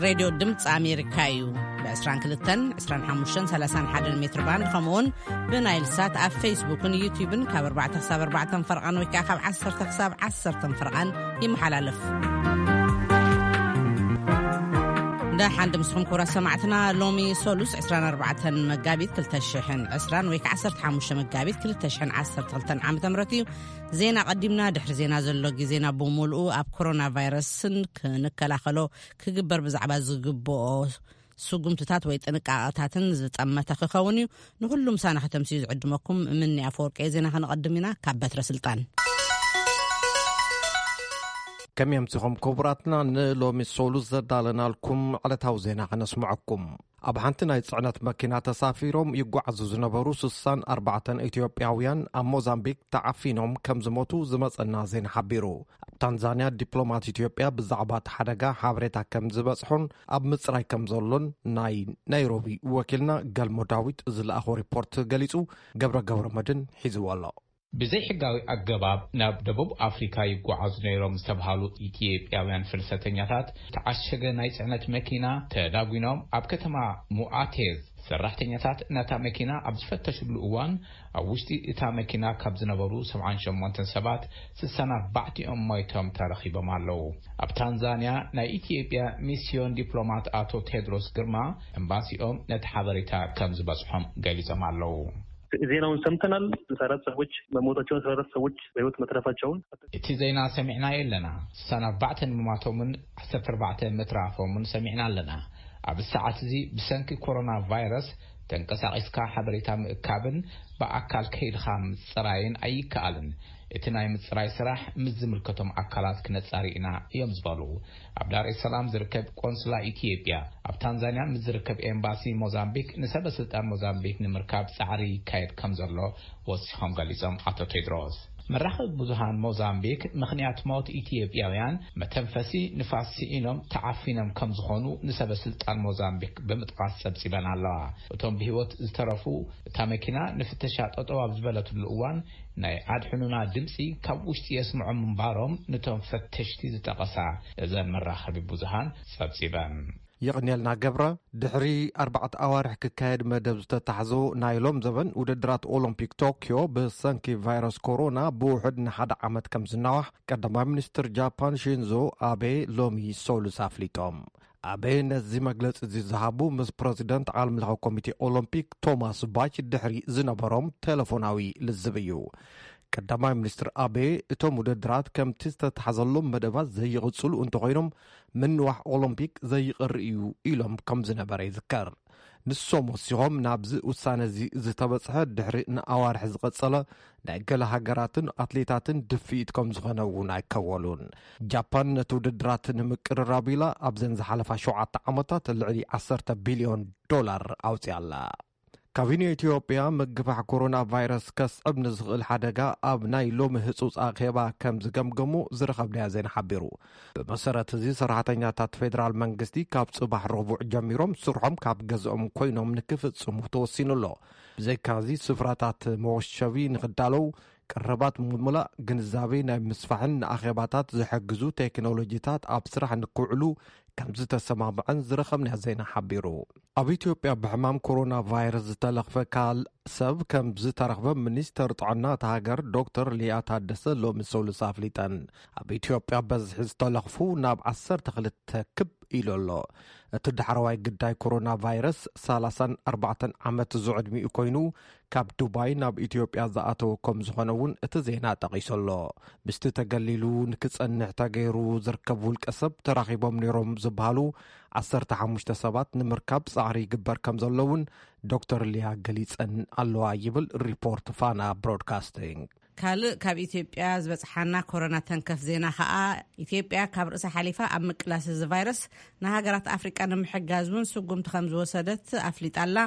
ሬድዮ ድምፂ ኣሜሪካ እዩ። ብ22፣ 25፣ 31 ሜትር ባንድ፣ ከምኡውን ብናይል ሳት ኣብ ፌስቡክን ዩቲዩብን ካብ ኣርባዕተ ክሳብ ኣርባዕተ ፈርቓን ወይ ከዓ ካብ ዓሰርተ ክሳብ ዓሰርተ ፈርቓን ይመሓላለፍ። ደሓን ድምስኹም ክቡራት ሰማዕትና። ሎሚ ሰሉስ 24 መጋቢት 2020 ወይ ከዓ 15 መጋቢት 2012 ዓመተ ምህረት እዩ። ዜና ቀዲምና። ድሕሪ ዜና ዘሎ ግዜና ብምሉኡ ኣብ ኮሮና ቫይረስን ክንከላኸሎ ክግበር ብዛዕባ ዝግብኦ ስጉምትታት ወይ ጥንቃቐታትን ዝጠመተ ክኸውን እዩ። ንኹሉ ምሳና ከተምስዩ ዝዕድመኩም ምኒ ኣፈወርቂ። ዜና ከነቐድም ኢና። ካብ በትረ ስልጣን። ከመይ ኣምሲኹም ክቡራትና? ንሎሚ ሰሉስ ዘዳለናልኩም ዕለታዊ ዜና ከነስምዐኩም። ኣብ ሓንቲ ናይ ጽዕነት መኪና ተሳፊሮም ይጓዓዙ ዝነበሩ 64 ኢትዮጵያውያን ኣብ ሞዛምቢክ ተዓፊኖም ከም ዝሞቱ ዝመጸና ዜና ሓቢሩ። ኣብ ታንዛንያ ዲፕሎማት ኢትዮጵያ ብዛዕባ እቲ ሓደጋ ሓበሬታ ከም ዝበጽሖን ኣብ ምጽራይ ከም ዘሎን ናይ ናይሮቢ ወኪልና ገልሞ ዳዊት ዝለኣኾ ሪፖርት ገሊጹ። ገብረ ገብረ መድን ሒዝዎ ኣሎ። ብዘይሕጋዊ ኣገባብ ናብ ደቡብ ኣፍሪካ ይጓዓዙ ነይሮም ዝተብሃሉ ኢትዮጵያውያን ፍልሰተኛታት፣ ዝተዓሸገ ናይ ጽዕነት መኪና ተዳጒኖም ኣብ ከተማ ሙኣቴዝ ሰራሕተኛታት ነታ መኪና ኣብ ዝፈተሽሉ እዋን፣ ኣብ ውሽጢ እታ መኪና ካብ ዝነበሩ 78 ሰባት 64ኦም ሞይቶም ተረኺቦም ኣለዉ። ኣብ ታንዛንያ ናይ ኢትዮጵያ ሚስዮን ዲፕሎማት ኣቶ ቴድሮስ ግርማ፣ ኤምባሲኦም ነቲ ሓበሬታ ከም ዝበጽሖም ገሊጾም ኣለዉ። ዜናውን ሰምተናል። 64 ሰዎች መሞታቸውን፣ 64 ሰዎች በህይወት መትረፋቸውን። እቲ ዜና ሰሚዕናዮ ኣለና። 64 ምማቶምን 14 ምትራፎምን ሰሚዕና ኣለና። ኣብ ሰዓት እዚ ብሰንኪ ኮሮና ቫይረስ ተንቀሳቒስካ ሓበሬታ ምእካብን ብኣካል ከይድኻ ምጽራይን ኣይከኣልን። እቲ ናይ ምጽራይ ስራሕ ምስ ዝምልከቶም ኣካላት ክነጻሪ ኢና እዮም ዝበሉ። ኣብ ዳር ኤስ ሰላም ዝርከብ ቆንስላ ኢትዮጵያ፣ ኣብ ታንዛንያ ምስ ዝርከብ ኤምባሲ ሞዛምቢክ ንሰበ ስልጣን ሞዛምቢክ ንምርካብ ጻዕሪ ይካየድ ከም ዘሎ ወሲኾም ገሊጾም ኣቶ ቴድሮስ። መራኸቢ ብዙሃን ሞዛምቢክ ምኽንያት ሞት ኢትዮጵያውያን መተንፈሲ ንፋስ ስኢኖም ተዓፊኖም ከም ዝኾኑ ንሰበ ስልጣን ሞዛምቢክ ብምጥቃስ ጸብጺበን ኣለዋ። እቶም ብህይወት ዝተረፉ፣ እታ መኪና ንፍተሻ ጠጠው ኣብ ዝበለትሉ እዋን ናይ ኣድሕኑና ድምፂ ካብ ውሽጢ የስምዖም ምንባሮም ንቶም ፈተሽቲ ዝጠቐሳ እዘን መራኸቢ ብዙሃን ጸብጺበን። የቕንየልና ገብረ። ድሕሪ ኣርባዕተ ኣዋርሕ ክካየድ መደብ ዝተታሕዞ ናይ ሎም ዘበን ውድድራት ኦሎምፒክ ቶክዮ ብሰንኪ ቫይረስ ኮሮና ብውሑድ ንሓደ ዓመት ከም ዝናዋሕ ቀዳማይ ሚኒስትር ጃፓን ሺንዞ ኣቤ ሎሚ ሰሉስ ኣፍሊጦም። ኣቤ ነዚ መግለጺ እዚ ዝሃቡ ምስ ፕረዚደንት ዓለም ለኸ ኮሚቴ ኦሎምፒክ ቶማስ ባች ድሕሪ ዝነበሮም ቴሌፎናዊ ልዝብ እዩ። ቀዳማይ ሚኒስትር ኣቤ፣ እቶም ውድድራት ከምቲ ዝተታሕዘሎም መደባት ዘይቕጽሉ እንተኾይኖም፣ ምንዋሕ ኦሎምፒክ ዘይቕሪ እዩ ኢሎም ከም ዝነበረ ይዝከር። ንሶም ወሲኾም፣ ናብዚ ውሳነ እዚ ዝተበጽሐ ድሕሪ ንኣዋርሕ ዝቐጸለ ናይ ገለ ሃገራትን ኣትሌታትን ድፍኢት ከም ዝኾነ እውን ኣይከወሉን። ጃፓን ነቲ ውድድራት ንምቅርራብ ኢላ ኣብዘን ዝሓለፋ ሸውዓተ ዓመታት ልዕሊ 10 ቢልዮን ዶላር ኣውፅያ ኣላ። ካቢኔ ኢትዮጵያ ምግፋሕ ኮሮና ቫይረስ ከስዕብ ንዝኽእል ሓደጋ ኣብ ናይ ሎሚ ህጹጽ ኣኼባ ከም ዝገምገሙ ዝረኸብናዮ ዜና ሓቢሩ። ብመሰረት እዚ፣ ሰራሕተኛታት ፌደራል መንግስቲ ካብ ጽባሕ ረቡዕ ጀሚሮም ስርሖም ካብ ገዝኦም ኮይኖም ንክፍጽሙ ተወሲኑ ኣሎ። ብዘይካዚ፣ ስፍራታት መወሸቢ ንክዳለው፣ ቀረባት ምምላእ፣ ግንዛቤ ናይ ምስፋሕን ንኣኼባታት ዝሕግዙ ቴክኖሎጂታት ኣብ ስራሕ ንክውዕሉ ከም ዝተሰማምዐን ዝረኸብናዮ ዜና ሓቢሩ። ኣብ ኢትዮጵያ ብሕማም ኮሮና ቫይረስ ዝተለኽፈ ካል ሰብ ከም ዝተረኽበ ሚኒስተር ጥዕና እታ ሃገር ዶክተር ሊያ ታደሰ ሎሚ ሰሉስ ኣፍሊጠን። ኣብ ኢትዮጵያ በዝሒ ዝተለኽፉ ናብ 12 ክብ ኢሉ ኣሎ። እቲ ዳሕረዋይ ግዳይ ኮሮና ቫይረስ 34 ዓመት ዝዕድሚኡ ኮይኑ፣ ካብ ዱባይ ናብ ኢትዮጵያ ዝኣተወ ከም ዝኾነ እውን እቲ ዜና ጠቒሱ ኣሎ። ምስቲ ተገሊሉ ንክጸንሕ ተገይሩ ዝርከብ ውልቀ ሰብ ተራኺቦም ነይሮም ዝበሃሉ 15 ሰባት ንምርካብ ጻዕሪ ይግበር ከም ዘሎ እውን ዶክተር ሊያ ገሊጸን ኣለዋ ይብል ሪፖርት ፋና ብሮድካስቲንግ። ካልእ ካብ ኢትዮጵያ ዝበጽሓና ኮሮና ተንከፍ ዜና ከኣ፣ ኢትዮጵያ ካብ ርእሳ ሓሊፋ ኣብ ምቅላስ እዚ ቫይረስ ንሃገራት ኣፍሪቃ ንምሕጋዝ እውን ስጉምቲ ከም ዝወሰደት ኣፍሊጣ ኣላ።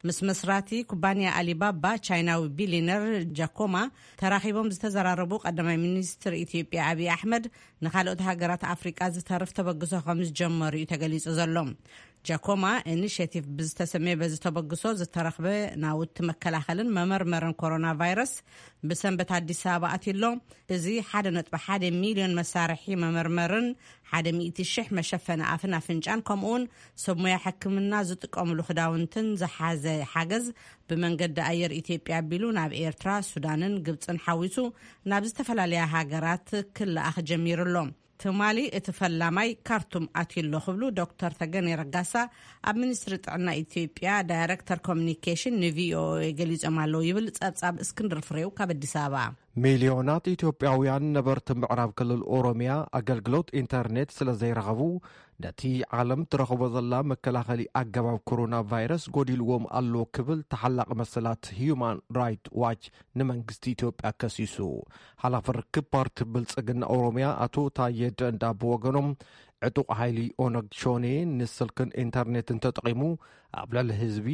ምስ መስራቲ ኩባንያ ኣሊባባ ቻይናዊ ቢሊነር ጃኮማ ተራኺቦም ዝተዘራረቡ ቀዳማይ ሚኒስትር ኢትዮጵያ ኣብይ ኣሕመድ፣ ንካልኦት ሃገራት ኣፍሪቃ ዝተርፍ ተበግሶ ከም ዝጀመሩ እዩ ተገሊጹ ዘሎ። ጃኮማ ኢኒሽቲቭ ብዝተሰመየ በዚ ተበግሶ ዝተረኽበ ናውቲ መከላኸልን መመርመርን ኮሮና ቫይረስ ብሰንበት ኣዲስ ኣበባ ኣትዩ ኣሎ። እዚ ሓደ ነጥቢ ሓደ ሚልዮን መሳርሒ መመርመርን ሓደ ሚእቲ ሽሕ መሸፈኒ ኣፍን ኣፍንጫን ከምኡውን ሰብ ሞያ ሕክምና ዝጥቀምሉ ክዳውንትን ዝሓዘ ሓገዝ ብመንገዲ ኣየር ኢትዮጵያ ኣቢሉ ናብ ኤርትራ፣ ሱዳንን ግብፅን ሓዊሱ ናብ ዝተፈላለያ ሃገራት ክለኣኽ ጀሚሩ ኣሎ። ትማሊ እቲ ፈላማይ ካርቱም ኣትዩ ኣሎ ክብሉ ዶክተር ተገኔ ረጋሳ ኣብ ሚኒስትሪ ጥዕና ኢትዮጵያ ዳይሬክተር ኮሚኒኬሽን ንቪኦኤ ገሊጾም ኣለዉ ይብል ጸብጻብ እስክንድር ፍሬው ካብ ኣዲስ ኣበባ። ሚልዮናት ኢትዮጵያውያን ነበርቲ ምዕራብ ክልል ኦሮሚያ ኣገልግሎት ኢንተርኔት ስለ ዘይረኸቡ ነቲ ዓለም ትረኽቦ ዘላ መከላኸሊ ኣገባብ ኮሮና ቫይረስ ጎዲልዎም ኣሎ ክብል ተሓላቒ መሰላት ሂዩማን ራይት ዋች ንመንግስቲ ኢትዮጵያ ከሲሱ። ሓላፊ ርክብ ፓርቲ ብልጽግና ኦሮሚያ ኣቶ ታየ ደንዳ ብወገኖም ዕጡቕ ሓይሊ ኦነግ ሾኔ ንስልክን ኢንተርኔትን ተጠቒሙ ኣብ ልዕሊ ህዝቢ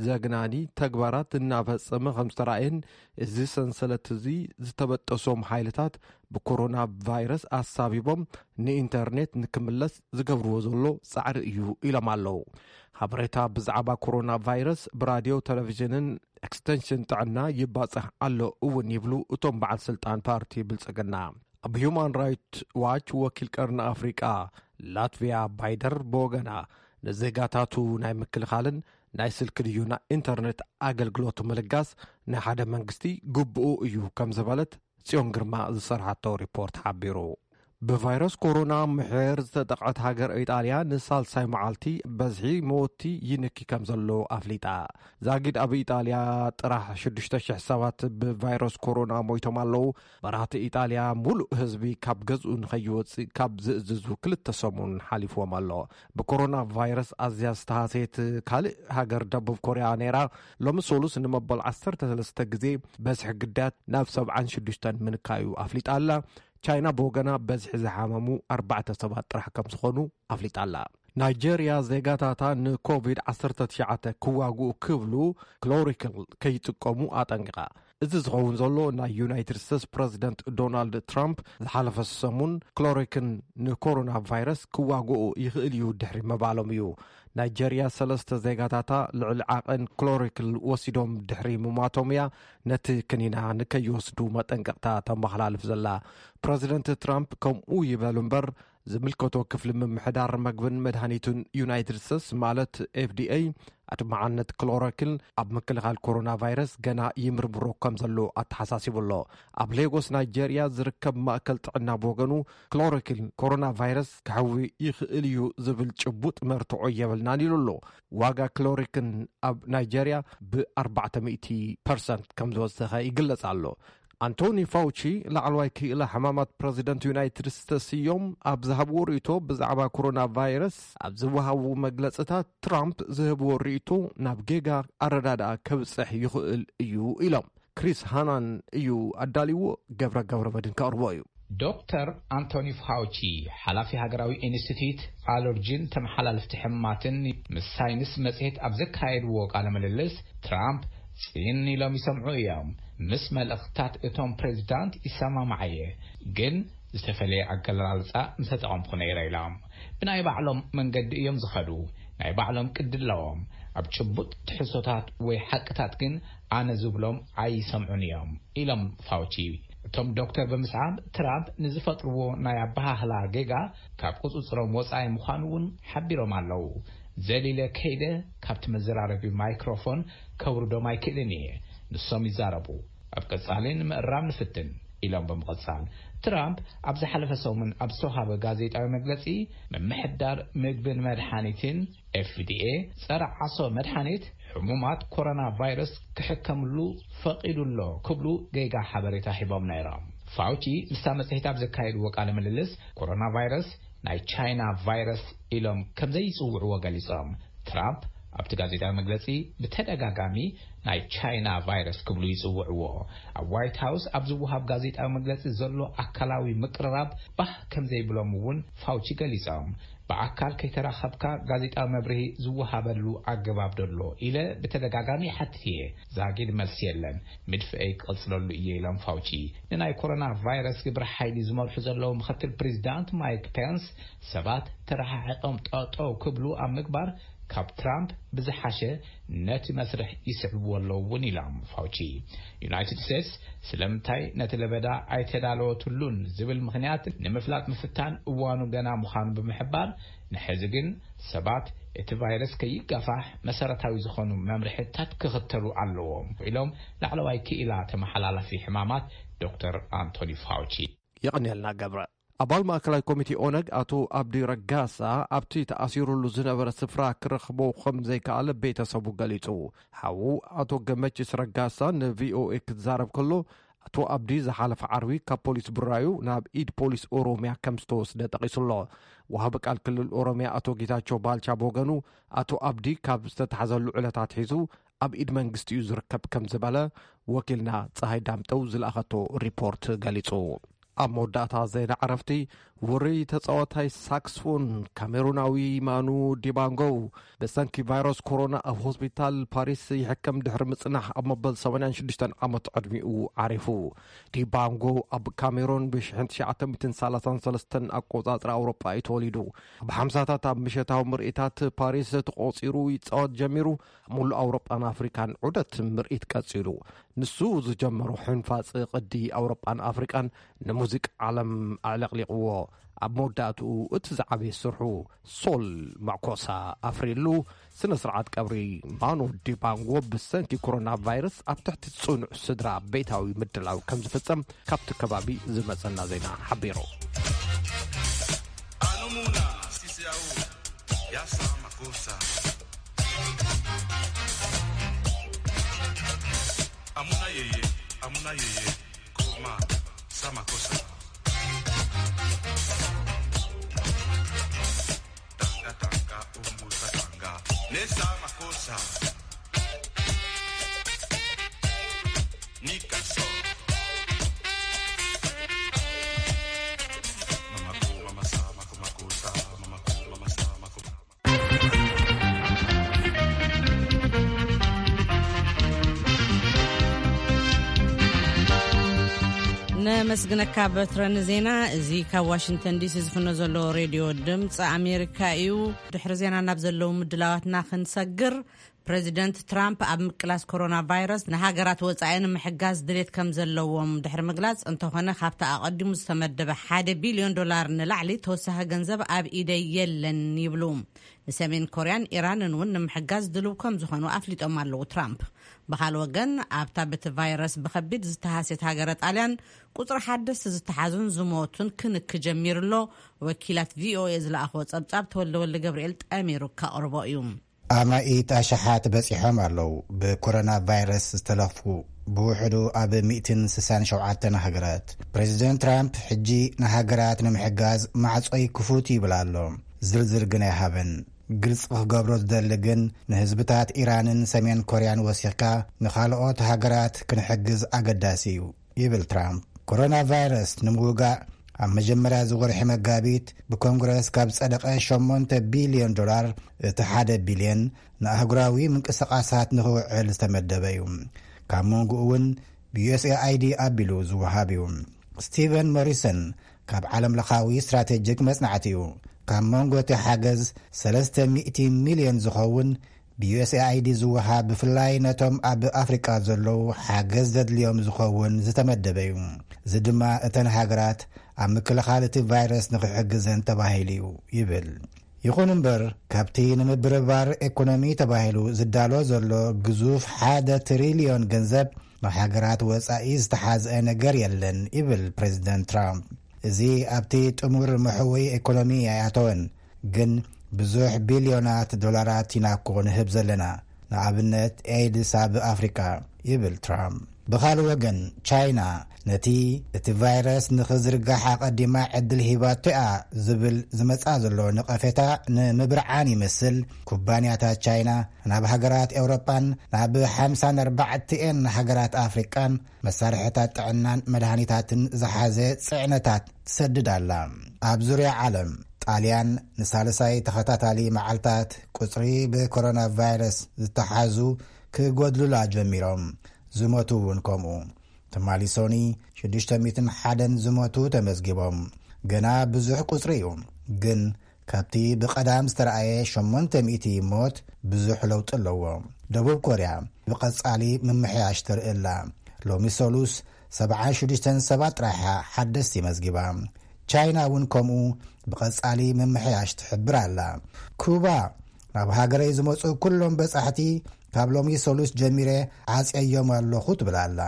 ዘግናኒ ተግባራት እናፈጸመ ከም ዝተራእየን እዚ ሰንሰለት እዚ ዝተበጠሶም ሓይልታት ብኮሮና ቫይረስ ኣሳቢቦም ንኢንተርኔት ንክምለስ ዝገብርዎ ዘሎ ጻዕሪ እዩ ኢሎም ኣለዉ። ሓበሬታ ብዛዕባ ኮሮና ቫይረስ ብራድዮ፣ ቴሌቪዥንን ኤክስቴንሽን ጥዕና ይባጻሕ ኣሎ እውን ይብሉ እቶም በዓል ስልጣን ፓርቲ ብልጽግና። ኣብ ሂዩማን ራይት ዋች ወኪል ቀርኒ ኣፍሪቃ ላትቪያ ባይደር ብወገና ንዜጋታቱ ናይ ምክልኻልን ናይ ስልኪ ድዩ ናይ ኢንተርኔት ኣገልግሎት ምልጋስ ናይ ሓደ መንግስቲ ግብኡ እዩ ከም ዝበለት ጽዮን ግርማ ዝሰርሓቶ ሪፖርት ሓቢሩ። ብቫይረስ ኮሮና ምሕር ዝተጠቕዐት ሃገር ኢጣልያ ንሳልሳይ መዓልቲ በዝሒ መወቲ ይንኪ ከም ዘሎ ኣፍሊጣ። ዛጊድ ኣብ ኢጣልያ ጥራሕ ሽዱሽተ ሽሕ ሰባት ብቫይረስ ኮሮና ሞይቶም ኣለዉ። መራሕቲ ኢጣልያ ሙሉእ ህዝቢ ካብ ገዝኡ ንኸይወፅእ ካብ ዝእዝዙ ክልተ ሰሙን ሓሊፍዎም ኣሎ። ብኮሮና ቫይረስ ኣዝያ ዝተሃሰየት ካልእ ሃገር ደቡብ ኮርያ ነይራ። ሎሚ ሶሉስ ንመበል ዓሰርተ ሰለስተ ግዜ በዝሒ ግዳያት ናብ ሰብዓን ሽዱሽተን ምንካዩ ኣፍሊጣ ኣላ። ቻይና ብወገና በዝሒ ዝሓመሙ ኣርባዕተ ሰባት ጥራሕ ከም ዝኾኑ ኣፍሊጣ ኣላ። ናይጄርያ ዜጋታታ ንኮቪድ ዓሰርተ ትሽዓተ ክዋግኡ ክብሉ ክሎሪክል ከይጥቀሙ ኣጠንቂቓ። እዚ ዝኸውን ዘሎ ናይ ዩናይትድ ስቴትስ ፕረዚደንት ዶናልድ ትራምፕ ዝሓለፈ ሰሙን ክሎሪክን ንኮሮና ቫይረስ ክዋግኡ ይኽእል እዩ ድሕሪ ምባሎም እዩ። ናይጄርያ ሰለስተ ዜጋታታ ልዕሊ ዓቐን ክሎሪክል ወሲዶም ድሕሪ ምሟቶም እያ ነቲ ክኒና ንከይወስዱ መጠንቀቕታ ተመሓላልፍ ዘላ። ፕረዚደንት ትራምፕ ከምኡ ይበሉ እምበር ዝምልከቶ ክፍሊ ምምሕዳር መግብን መድሃኒቱን ዩናይትድ ስቴትስ ማለት ኤፍዲኤ ኣድማዓነት ክሎሮኪል ኣብ ምክልኻል ኮሮና ቫይረስ ገና ይምርምሮ ከም ዘሎ ኣተሓሳሲቡ ኣሎ። ኣብ ሌጎስ ናይጄርያ ዝርከብ ማእከል ጥዕና ብወገኑ ክሎሮኪል ኮሮና ቫይረስ ክሕዊ ይኽእል እዩ ዝብል ጭቡጥ መርትዖ የብልናን ኢሉ ኣሎ። ዋጋ ክሎሪክን ኣብ ናይጄርያ ብ ኣርባዕተ ሚእቲ ፐርሰንት ከም ዝወሰኸ ይግለጽ ኣሎ። ኣንቶኒ ፋውቺ ላዕለዋይ ክኢላ ሕማማት ፕረዚደንት ዩናይትድ ስቴትስ እዮም ኣብ ዝሃብዎ ርእይቶ ብዛዕባ ኮሮና ቫይረስ ኣብ ዝወሃቡ መግለጽታት ትራምፕ ዝህብዎ ርእይቶ ናብ ጌጋ ኣረዳድኣ ከብጽሕ ይኽእል እዩ ኢሎም። ክሪስ ሃናን እዩ ኣዳልይዎ፣ ገብረ ገብረ መድን ከቕርቦ እዩ። ዶክተር ኣንቶኒ ፋውቺ ሓላፊ ሃገራዊ ኢንስቲትዩት ኣለርጂን ተመሓላለፍቲ ሕማማትን ምስ ሳይንስ መጽሔት ኣብ ዘካየድዎ ቃለ ምልልስ ትራምፕ ጽን ኢሎም ይሰምዑ እዮም። ምስ መልእኽትታት እቶም ፕሬዚዳንት ይሰማማዓየ፣ ግን ዝተፈለየ ኣገላልጻ ምተጠቐምኩ ነይረ ኢሎም። ብናይ ባዕሎም መንገዲ እዮም ዝኸዱ፣ ናይ ባዕሎም ቅዲ ኣለዎም። ኣብ ጭቡጥ ትሕዝቶታት ወይ ሓቅታት ግን ኣነ ዝብሎም ኣይሰምዑን እዮም ኢሎም ፋውቺ። እቶም ዶክተር ብምስዓብ ትራምፕ ንዝፈጥርዎ ናይ ኣበሃህላ ጌጋ ካብ ቁፅፅሮም ወፃኢ ምዃኑ እውን ሓቢሮም ኣለዉ። ዘሊለ ከይደ ካብቲ መዘራረቢ ማይክሮፎን ከውርዶም ኣይክእልን እየ፣ ንሶም ይዛረቡ። ኣብ ቀጻሊ ንምእራም ንፍትን ኢሎም ብምቕጻል ትራምፕ ኣብ ዝሓለፈ ሰሙን ኣብ ዝተውሃበ ጋዜጣዊ መግለጺ ምምሕዳር ምግብን መድሓኒትን ኤፍዲኤ ጸረ ዓሶ መድሓኒት ሕሙማት ኮሮና ቫይረስ ክሕከምሉ ፈቒዱ ኣሎ ክብሉ ገይጋ ሓበሬታ ሂቦም ነይሮም። ፋውቺ ምስታ መጽሔት ኣብ ዘካየድዎ ቃለ ምልልስ ኮሮና ቫይረስ ናይ ቻይና ቫይረስ ኢሎም ከም ዘይጽውዕዎ ገሊጾም። ትራምፕ ኣብቲ ጋዜጣዊ መግለጺ ብተደጋጋሚ ናይ ቻይና ቫይረስ ክብሉ ይጽውዕዎ። ኣብ ዋይት ሃውስ ኣብ ዝወሃብ ጋዜጣዊ መግለጺ ዘሎ ኣካላዊ ምቅርራብ ባህ ከም ዘይብሎም እውን ፋውቺ ገሊጾም። ብኣካል ከይተራኸብካ ጋዜጣዊ መብርሂ ዝወሃበሉ ኣገባብ ዶ ኣሎ ኢለ ብተደጋጋሚ ይሓትት እየ። ዛጊድ መልሲ የለን። ምድፍኤይ ክቕጽለሉ እየ ኢሎም ፋውቺ። ንናይ ኮሮና ቫይረስ ግብረ ሓይሊ ዝመርሑ ዘለዉ ምኽትል ፕሬዚዳንት ማይክ ፔንስ ሰባት ተረሓሒቖም ጠጠው ክብሉ ኣብ ምግባር ካብ ትራምፕ ብዝሓሸ ነቲ መስርሕ ይስዕብዎ ኣለዉ እውን ኢሎም ፋውቺ። ዩናይትድ ስቴትስ ስለምንታይ ነቲ ለበዳ ኣይተዳለወትሉን ዝብል ምኽንያት ንምፍላጥ ምፍታን እዋኑ ገና ምዃኑ ብምሕባር፣ ንሕዚ ግን ሰባት እቲ ቫይረስ ከይጋፋሕ መሰረታዊ ዝኾኑ መምርሕታት ክኽተሉ ኣለዎም ኢሎም ላዕለዋይ ክኢላ ተመሓላላፊ ሕማማት ዶክተር ኣንቶኒ ፋውቺ። የቐንየልና ገብረ። ኣባል ማእከላይ ኮሚቴ ኦነግ ኣቶ ኣብዲ ረጋሳ ኣብቲ ተኣሲሩሉ ዝነበረ ስፍራ ክረኽቦ ከም ዘይከኣለ ቤተሰቡ ገሊጹ። ሓዉ ኣቶ ገመችስ ረጋሳ ንቪኦኤ ክዛረብ ከሎ፣ ኣቶ ኣብዲ ዝሓለፈ ዓርቢ ካብ ፖሊስ ብራዩ ናብ ኢድ ፖሊስ ኦሮሚያ ከም ዝተወስደ ጠቒሱ ኣሎ። ወሃቢ ቃል ክልል ኦሮሚያ ኣቶ ጌታቸው ባልቻ ብወገኑ፣ ኣቶ ኣብዲ ካብ ዝተታሕዘሉ ዕለት ኣትሒዙ ኣብ ኢድ መንግስቲ እዩ ዝርከብ ከም ዝበለ ወኪልና ፀሃይ ዳምጠው ዝለኣኸቶ ሪፖርት ገሊጹ። ኣብ መወዳእታ ዜና ዕረፍቲ፣ ውሩይ ተጻዋታይ ሳክስፎን ካሜሩናዊ ማኑ ዲባንጎ ብሰንኪ ቫይረስ ኮሮና ኣብ ሆስፒታል ፓሪስ ይሕከም ድሕሪ ምጽናሕ ኣብ መበል ሰማንያን ሽዱሽተን ዓመት ዕድሚኡ ዓሪፉ። ዲባንጎ ኣብ ካሜሩን ብ ሽሕን ትሽዓተ ሚእትን ሰላሳን ሰለስተን ኣቆጻጽራ ኣውሮጳ እዩ ተወሊዱ። ኣብ ሓምሳታት ኣብ ምሸታዊ ምርኢታት ፓሪስ ተቖጺሩ ይጻወት ጀሚሩ፣ ኣብ ሙሉእ ኣውሮጳን ኣፍሪካን ዑደት ምርኢት ቀጺሉ። ንሱ ዝጀመሮ ሕንፋጽ ቅዲ ኣውሮጳን ኣፍሪቃን ንሙዚቃ ዓለም ኣዕለቕሊቕዎ። ኣብ መወዳእትኡ እቲ ዝዓበየ ስርሑ ሶል ማኮሳ ኣፍሪሉ። ስነ ስርዓት ቀብሪ ማኑ ዲባንጎ ብሰንኪ ኮሮና ቫይረስ ኣብ ትሕቲ ጽኑዕ ስድራ ቤታዊ ምድላው ከም ዝፍጸም ካብቲ ከባቢ ዝመጸና ዜና ሓቢሩ። Anumuna sisi au ya sa makosa. Amuna yeye, amuna yeye, kuma sa makosa. Tanga tanga umbu sa tanga. Ne sa makosa. Ni kaso. Mama ko, mama sa, mako, mako sa, mama ko, mama sa, mako. ነመስግነካ በትረ ንዜና። እዚ ካብ ዋሽንግተን ዲሲ ዝፍኖ ዘሎ ሬድዮ ድምፂ ኣሜሪካ እዩ። ድሕሪ ዜና ናብ ዘለዉ ምድላዋትና ክንሰግር፣ ፕሬዚደንት ትራምፕ ኣብ ምቅላስ ኮሮና ቫይረስ ንሃገራት ወጻኢ ንምሕጋዝ ድሌት ከም ዘለዎም ድሕሪ ምግላጽ፣ እንተኾነ ካብቲ ኣቐዲሙ ዝተመደበ ሓደ ቢልዮን ዶላር ንላዕሊ ተወሳኺ ገንዘብ ኣብ ኢደይ የለን ይብሉ። ንሰሜን ኮርያን ኢራንን እውን ንምሕጋዝ ድልው ከም ዝኾኑ ኣፍሊጦም ኣለዉ ትራምፕ። ብኻል ወገን፣ ኣብታ በቲ ቫይረስ ብኸቢድ ዝተሃስየት ሃገረ ጣልያን ቁጽሪ ሓደስቲ ዝተሓዙን ዝሞቱን ክንክ ጀሚሩ ኣሎ። ወኪላት ቪኦኤ ዝለኣኽዎ ጸብጻብ ተወልደ ወልደ ገብርኤል ጠሚሩ ከቕርቦ እዩ። ኣማኢት ኣሽሓት በጺሖም ኣለዉ ብኮሮና ቫይረስ ዝተለኽፉ፣ ብውሕዱ ኣብ ሚእትን ስሳን ሸውዓተን ሃገራት። ፕሬዚደንት ትራምፕ ሕጂ ንሃገራት ንምሕጋዝ ማዕጾይ ክፉት ይብል ኣሎ። ዝርዝር ግን ኣይሃበን። ግልጽ ክገብሮ ዝደሊ ግን፣ ንህዝብታት ኢራንን ሰሜን ኮርያን ወሲኽካ ንኻልኦት ሃገራት ክንሕግዝ ኣገዳሲ እዩ። ይብል ትራምፕ። ኮሮና ቫይረስ ንምውጋእ ኣብ መጀመርያ ዝወርሒ መጋቢት ብኮንግረስ ካብ ጸደቐ ሸሞንተ ቢልዮን ዶላር እቲ ሓደ ቢልዮን ንኣህጉራዊ ምንቅስቓሳት ንኽውዕል ዝተመደበ እዩ። ካብ መንጎኡ እውን ብዩኤስኤኣይዲ ኣቢሉ ዝወሃብ እዩ። ስቲቨን ሞሪሰን ካብ ዓለም ለኻዊ ስትራቴጂክ መጽናዕቲ እዩ። ካብ መንጎ እቲ ሓገዝ ሰለስተ ሚእቲ ሚልዮን ዝኸውን ብዩኤስኤኣይዲ ዝወሃብ ብፍላይ ነቶም ኣብ ኣፍሪቃ ዘለዉ ሓገዝ ዘድልዮም ዝኸውን ዝተመደበ እዩ። እዚ ድማ እተን ሃገራት ኣብ ምክልኻል እቲ ቫይረስ ንኽሕግዘን ተባሂሉ እዩ ይብል። ይኹን እምበር ካብቲ ንምብርባር ኤኮኖሚ ተባሂሉ ዝዳሎ ዘሎ ግዙፍ ሓደ ትሪልዮን ገንዘብ ንሃገራት ወጻኢ ዝተሓዝአ ነገር የለን ይብል ፕሬዚደንት ትራምፕ። እዚ ኣብቲ ጥሙር መሕወይ ኤኮኖሚ ኣይኣተወን፣ ግን ብዙሕ ቢልዮናት ዶላራት ኢና እኮ ንህብ ዘለና፣ ንኣብነት ኤድስ ኣብ ኣፍሪካ ይብል ትራምፕ። ብኻልእ ወገን ቻይና ነቲ እቲ ቫይረስ ንኽዝርጋሕ ኣቐዲማ ዕድል ሂባቶ እያ ዝብል ዝመጻ ዘሎ ነቐፌታ ንምብርዓን ይመስል፣ ኩባንያታት ቻይና ናብ ሃገራት ኤውሮጳን ናብ ሓምሳን ኣርባዕተን ሃገራት ኣፍሪቃን መሳርሕታት ጥዕናን መድሃኒታትን ዝሓዘ ጽዕነታት ትሰድድ ኣላ። ኣብ ዙርያ ዓለም ጣልያን ንሳልሳይ ተኸታታሊ መዓልታት ቁጽሪ ብኮሮና ቫይረስ ዝተሓዙ ክጎድሉላ ጀሚሮም። ዝሞቱ እውን ከምኡ። ትማሊ ሶኒ ሽዱሽተ ሚእትን ሓደን ዝሞቱ ተመዝጊቦም። ገና ብዙሕ ቁጽሪ እዩ፣ ግን ካብቲ ብቐዳም ዝተረኣየ ሸሞንተ ሚእቲ ሞት ብዙሕ ለውጢ ኣለዎ። ደቡብ ኮርያ ብቐጻሊ ምምሕያሽ ተርኢ ኣላ። ሎሚ ሰሉስ ሰብዓን ሽዱሽተን ሰባት ጥራሕ ሓደስቲ መዝጊባ። ቻይና እውን ከምኡ ብቐጻሊ ምምሕያሽ ትሕብር ኣላ። ኩባ ናብ ሃገረይ ዝመጹ ኩሎም በጻሕቲ ካብ ሎሚ ሰሉስ ጀሚረ ዓጽየዮም ኣለኹ ትብል ኣላ።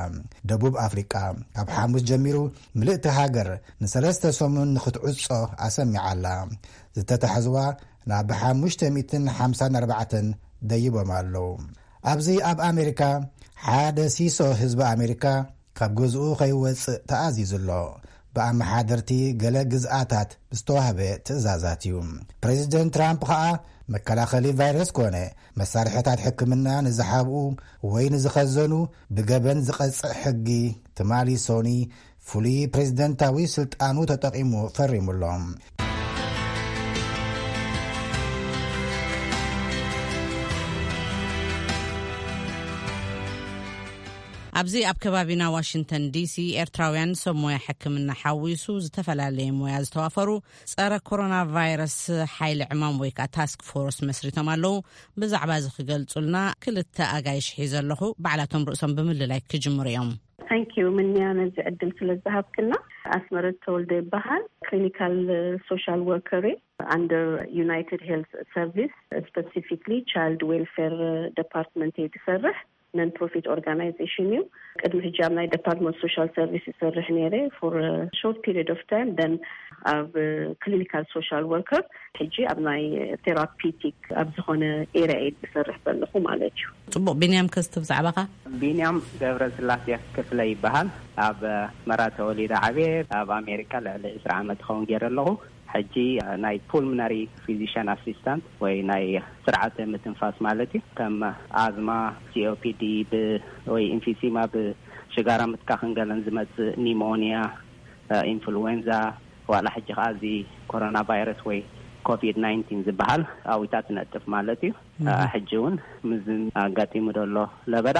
ደቡብ ኣፍሪቃ ካብ ሓሙስ ጀሚሩ ምልእቲ ሃገር ንሰለስተ ሰሙን ንኽትዕጾ ኣሰሚዓ ኣላ። ዝተታሕዝዋ ናብ ሓሙሽተ ሚእትን ሓምሳን ኣርባዕተን ደይቦም ኣለዉ። ኣብዚ ኣብ ኣሜሪካ ሓደ ሲሶ ህዝቢ ኣሜሪካ ካብ ገዝኡ ከይወጽእ ተኣዚዙ ኣሎ። ብኣመሓደርቲ ገለ ግዝኣታት ዝተዋህበ ትእዛዛት እዩ። ፕሬዚደንት ትራምፕ ኸኣ መከላኸሊ ቫይረስ ኮነ መሳርሕታት ሕክምና ንዝሓብኡ ወይ ንዝኸዘኑ ብገበን ዝቐጽዕ ሕጊ ትማሊ ሶኒ ፍሉይ ፕሬዚደንታዊ ስልጣኑ ተጠቒሙ ፈሪሙሎም። ኣብዚ ኣብ ከባቢና ዋሽንግተን ዲሲ ኤርትራውያን ሰብ ሞያ ሕክምና ሓዊሱ ዝተፈላለየ ሞያ ዝተዋፈሩ ጸረ ኮሮና ቫይረስ ሓይሊ ዕማም ወይ ከዓ ታስክ ፎርስ መስሪቶም ኣለዉ። ብዛዕባ እዚ ክገልጹልና ክልተ ኣጋይሽ ሒዘ ኣለኹ። ባዕላቶም ርእሶም ብምልላይ ክጅምሩ እዮም። Thank you ምንያ ነዚ ዕድል ስለ ዝሃብክና። ኣስመረት ተወልደ ይበሃል። ክሊኒካል ሶሻል ወርከር under United Health Service, specifically Child Welfare Department እየ ዝሰርሕ። Non profit organization እዩ። ቅድሚ ሕጂ ኣብ ናይ Department Social Service ይሰርሕ ነይረ for short period of time, then ኣብ ክሊኒካል ሶሻል ወርከር፣ ሕጂ ኣብ ናይ ቴራፒቲክ ኣብ ዝኾነ ኤሪያ እየ ዝሰርሕ ዘለኹ ማለት እዩ። ጽቡቕ። ቢንያም፣ ከስቲ ብዛዕባኻ። ቢንያም ገብረ ስላሴ ክፍለ ይበሃል። ኣብ ኣስመራ ተወሊደ ዓብየ። ኣብ ኣሜሪካ ልዕሊ ዕስራ ዓመት ክኸውን ገይረ ኣለኹ። ሕጂ ናይ ፑልምናሪ ፊዚሽን ኣሲስታንት ወይ ናይ ስርዓተ ምትንፋስ ማለት እዩ። ከም ኣዝማ፣ ሲኦፒዲ፣ ብ ወይ ኢንፊሲማ፣ ብሽጋራ ምትካኽን ገለን ዝመጽእ ኒሞኒያ፣ ኢንፍሉዌንዛ፣ ዋላ ሕጂ ከኣ እዚ ኮሮና ቫይረስ ወይ ኮቪድ ናይንቲን ዝበሃል ኣዊታት ትነጥፍ ማለት እዩ። ሕጂ እውን ምስ ኣጋጢሙ ዘሎ ለበዳ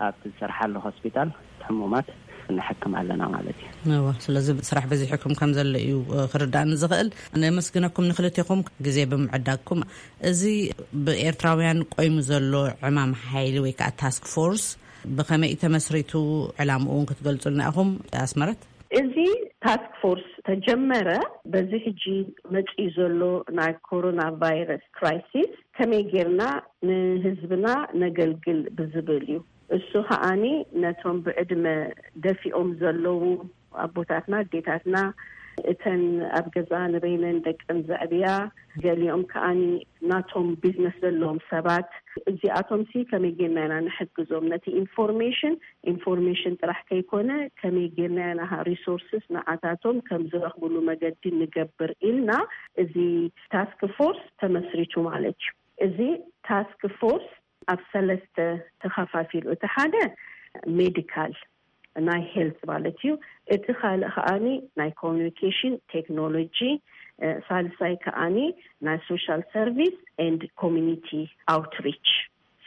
ኣብቲ ዝሰርሓሉ ሆስፒታል ሕሙማት ንሕክም ኣለና ማለት እዩ። እወ፣ ስለዚ ስራሕ በዚሕኩም ከም ዘሎ እዩ ክርዳእኒ ዝኽእል። ነመስግነኩም ንክልቴኹም ግዜ ብምዕዳግኩም። እዚ ብኤርትራውያን ቆይሙ ዘሎ ዕማም ሓይሊ ወይ ከዓ ታስክ ፎርስ ብኸመይ እዩ ተመስሪቱ? ዕላምኡ እውን ክትገልጹልና ኢኹም ኣስመረት። እዚ ታስክ ፎርስ ተጀመረ በዚ ሕጂ መጺኡ ዘሎ ናይ ኮሮና ቫይረስ ክራይሲስ ከመይ ጌርና ንህዝብና ነገልግል ብዝብል እዩ። እሱ ከኣኒ ነቶም ብዕድመ ደፊኦም ዘለዉ ኣቦታትና፣ ኣዴታትና፣ እተን ኣብ ገዛ ንበይነን ደቀን ዘዕብያ፣ ገሊኦም ከኣኒ ናቶም ቢዝነስ ዘለዎም ሰባት፣ እዚኣቶም ሲ ከመይ ጌርና ኢና ንሕግዞም? ነቲ ኢንፎርሜሽን ኢንፎርሜሽን ጥራሕ ከይኮነ ከመይ ጌርና ኢና ሪሶርስስ ንዓታቶም ከም ዝረኽብሉ መገዲ ንገብር ኢልና እዚ ታስክ ፎርስ ተመስሪቱ ማለት እዩ። እዚ ታስክ ፎርስ ኣብ ሰለስተ ተኸፋፊሉ፣ እቲ ሓደ ሜዲካል ናይ ሄልት ማለት እዩ። እቲ ካልእ ከኣኒ ናይ ኮሚኒኬሽን ቴክኖሎጂ፣ ሳልሳይ ከኣኒ ናይ ሶሻል ሰርቪስ ኤንድ ኮሚኒቲ ኣውትሪች።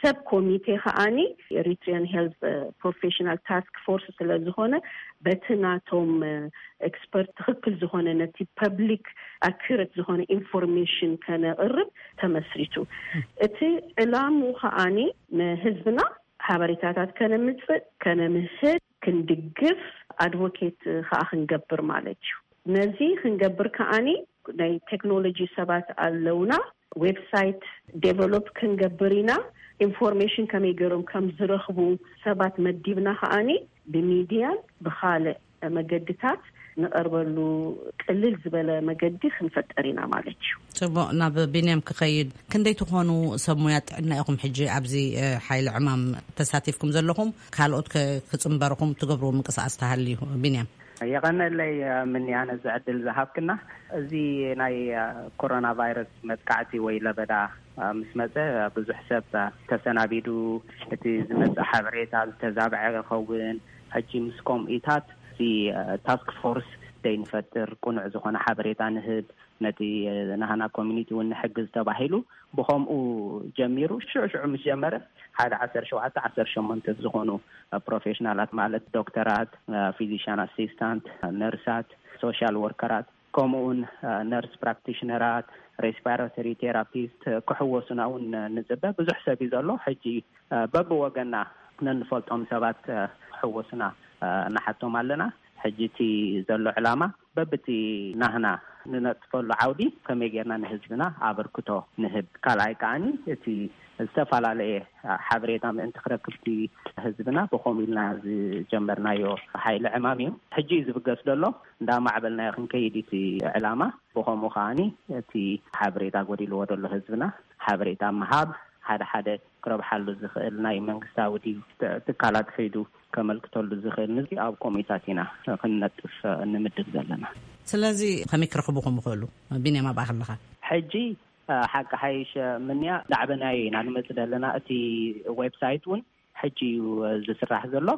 ሰብ ኮሚቴ ከኣኒ ኤሪትሪያን ሄልት ፕሮፌሽናል ታስክ ፎርስ ስለ ዝኾነ በቲ ናቶም ኤክስፐርት ትኽክል ዝኾነ ነቲ ፐብሊክ ኣኩረት ዝኾነ ኢንፎርሜሽን ከነቕርብ ተመስሪቱ። እቲ ዕላሙ ከኣኒ ንህዝብና ሓበሬታታት ከነምፅእ፣ ከነምህር፣ ክንድግፍ፣ ኣድቮኬት ከዓ ክንገብር ማለት እዩ። ነዚ ክንገብር ከዓኒ ናይ ቴክኖሎጂ ሰባት ኣለውና። ዌብሳይት ዴቨሎፕ ክንገብር ኢና። ኢንፎርሜሽን ከመይ ገይሮም ከም ዝረኽቡ ሰባት መዲብና ከዓኒ ብሚድያን ብኻልእ መገድታት ንቐርበሉ ቅልል ዝበለ መገዲ ክንፈጠር ኢና ማለት እዩ። ጽቡቕ። ናብ ቢንያም ክኸይድ፣ ክንደይ ትኾኑ ሰብ ሙያ ጥዕና ኢኹም ሕጂ ኣብዚ ሓይሊ ዕማም ተሳቲፍኩም ዘለኹም? ካልኦት ክጽንበርኹም ትገብርዎ ምንቅስቃስ ተሃልዩ? ቢንያም። የቐነለይ። ምንያነ ዝዕድል ዝሃብክና። እዚ ናይ ኮሮና ቫይረስ መጥቃዕቲ ወይ ለበዳ ምስ መፀ ብዙሕ ሰብ ተሰናቢዱ፣ እቲ ዝመፅእ ሓበሬታ ዝተዛብዐ ይኸውን። ሕጂ ምስ ኮሚቴታት እዚ ታስክ ፎርስ ደይ ንፈጥር፣ ቅኑዕ ዝኾነ ሓበሬታ ንህብ፣ ነቲ ናህና ኮሚኒቲ እውን ንሕግዝ ተባሂሉ ብኸምኡ ጀሚሩ። ሽዑ ሽዑ ምስ ጀመረ ሓደ ዓሰርተ ሸውዓተ ዓሰርተ ሸሞንተ ዝኾኑ ፕሮፌሽናላት፣ ማለት ዶክተራት፣ ፊዚሽያን ኣሲስታንት፣ ነርሳት፣ ሶሻል ወርከራት፣ ከምኡውን ነርስ ፕራክቲሽነራት፣ ሬስፓራቶሪ ቴራፒስት ክሕወሱና እውን ንፅበ። ብዙሕ ሰብ እዩ ዘሎ። ሕጂ በብወገና ነንፈልጦም ሰባት ክሕወሱና ንሓቶም ኣለና። ሕጂ እቲ ዘሎ ዕላማ በብቲ ናህና ንነጥፈሉ ዓውዲ ከመይ ጌርና ንህዝብና ኣበርክቶ ንህብ። ካልኣይ ከዓኒ እቲ ዝተፈላለየ ሓበሬታ ምእንቲ ክረክብቲ ህዝብና ብኸምኡ ኢልና ዝጀመርናዮ ሓይሊ ዕማም እዩ። ሕጂ እዩ ዝብገስ ዘሎ። እንዳማዕበልናዮ ክንከይድ እቲ ዕላማ። ብኸምኡ ከዓኒ እቲ ሓበሬታ ጎዲልዎ ዘሎ ህዝብና ሓበሬታ ምሃብ፣ ሓደ ሓደ ክረብሓሉ ዝኽእል ናይ መንግስታዊ ድዩ ትካላት ከይዱ ከመልክተሉ ዝኽእል ንዚ ኣብ ኮሚታት ኢና ክንነጥፍ ንምድብ ዘለና። ስለዚ ከመይ ክረኽብኹም ይኽእሉ? ቢንያም፣ ኣብኣ ከለኻ። ሕጂ ሓቂ ሓይሽ ምንያ ዳዕበናዮ ኢና ንመጽእ ዘለና። እቲ ዌብሳይት እውን ሕጂ እዩ ዝስራሕ ዘሎ።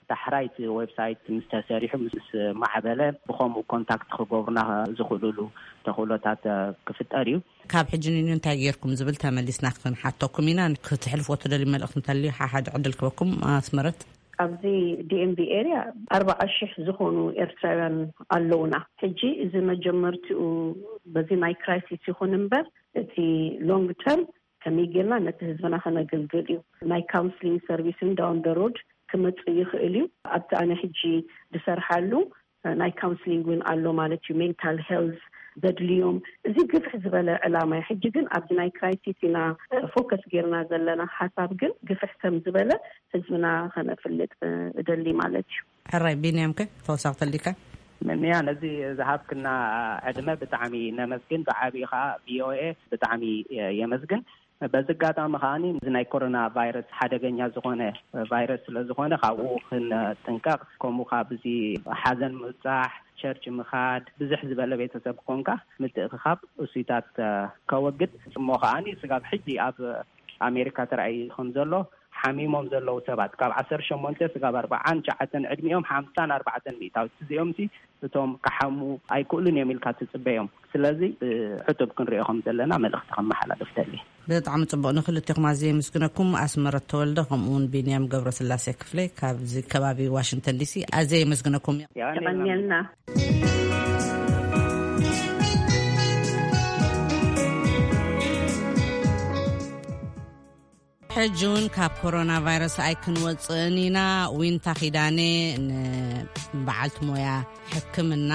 ዳሕራይ እቲ ዌብሳይት ምስ ተሰሪሑ፣ ምስ ማዕበለ፣ ብኸምኡ ኮንታክት ክገብሩና ዝኽእሉሉ ተኽእሎታት ክፍጠር እዩ። ካብ ሕጂ ንንዩ እንታይ ጌርኩም ዝብል ተመሊስና ክንሓተኩም ኢና። ክትሕልፎ ትደልዩ መልእኽቲ እንተልዩ ሓሓደ ዕድል ክበኩም። ኣስመረት። ኣብዚ ዲኤምቪ ኤሪያ ኣርባዓ ሺሕ ዝኾኑ ኤርትራውያን ኣለውና። ሕጂ እዚ መጀመርቲኡ በዚ ናይ ክራይሲስ ይኹን እምበር፣ እቲ ሎንግ ተርም ከመይ ጌርና ነቲ ህዝብና ከነገልግል እዩ። ናይ ካውንስሊንግ ሰርቪስን ዳውን ደ ሮድ ክመጽእ ይኽእል እዩ። ኣብቲ ኣነ ሕጂ ዝሰርሓሉ ናይ ካውንስሊንግ እውን ኣሎ ማለት እዩ። ሜንታል ሄልዝ ዘድልዮም፣ እዚ ግፍሕ ዝበለ ዕላማ እዩ። ሕጂ ግን ኣብዚ ናይ ክራይሲስ ኢና ፎከስ ጌርና ዘለና። ሓሳብ ግን ግፍሕ ከም ዝበለ ህዝብና ከነፍልጥ እደሊ ማለት እዩ። ሕራይ ቢንያም፣ ከ ተወሳኺ ተልካ? ምንያ፣ ነዚ ዝሃብክና ዕድመ ብጣዕሚ ነመስግን። ብዓብዪ ከዓ ቪኦኤ ብጣዕሚ የመስግን። በዚ ኣጋጣሚ ከዓኒ እዚ ናይ ኮሮና ቫይረስ ሓደገኛ ዝኾነ ቫይረስ ስለ ዝኾነ ካብኡ ክንጥንቀቕ፣ ከምኡ ካብ እዚ ሓዘን ምብጻሕ፣ ቸርች ምኻድ፣ ብዝሕ ዝበለ ቤተሰብ ኮንካ ምትእኽኻብ እሱይታት ከወግድ እሞ ከዓኒ ስጋብ ሕጂ ኣብ ኣሜሪካ ተራእዩ ከም ዘሎ ሓሚሞም ዘለዉ ሰባት ካብ ዓሰርተ ሸሞንተ ስጋብ ኣርባዓን ትሽዓተን ዕድሚኦም ሓምሳን ኣርባዕተን ሚእታዊት እዚኦም ሲ እቶም ክሓሙ ኣይክእሉን እዮም ኢልካ ትጽበዮም። ስለዚ ብዕቱብ ክንሪኦ ከም ዘለና መልእኽቲ ከመሓላልፍ ደሊ። ብጣዕሚ ጽቡቕ። ንክልቴኹም ኣዝየ የመስግነኩም። ኣስመረት ተወልደ ከምኡ እውን ቢንያም ገብረስላሴ ክፍለ ካብዚ ከባቢ ዋሽንግተን ዲሲ ኣዝየ የመስግነኩም። የቐንየልና። ሕጂ እውን ካብ ኮሮና ቫይረስ ኣይክንወፅእን ኢና። ዊንታ ኪዳነ ንበዓልቲ ሞያ ሕክምና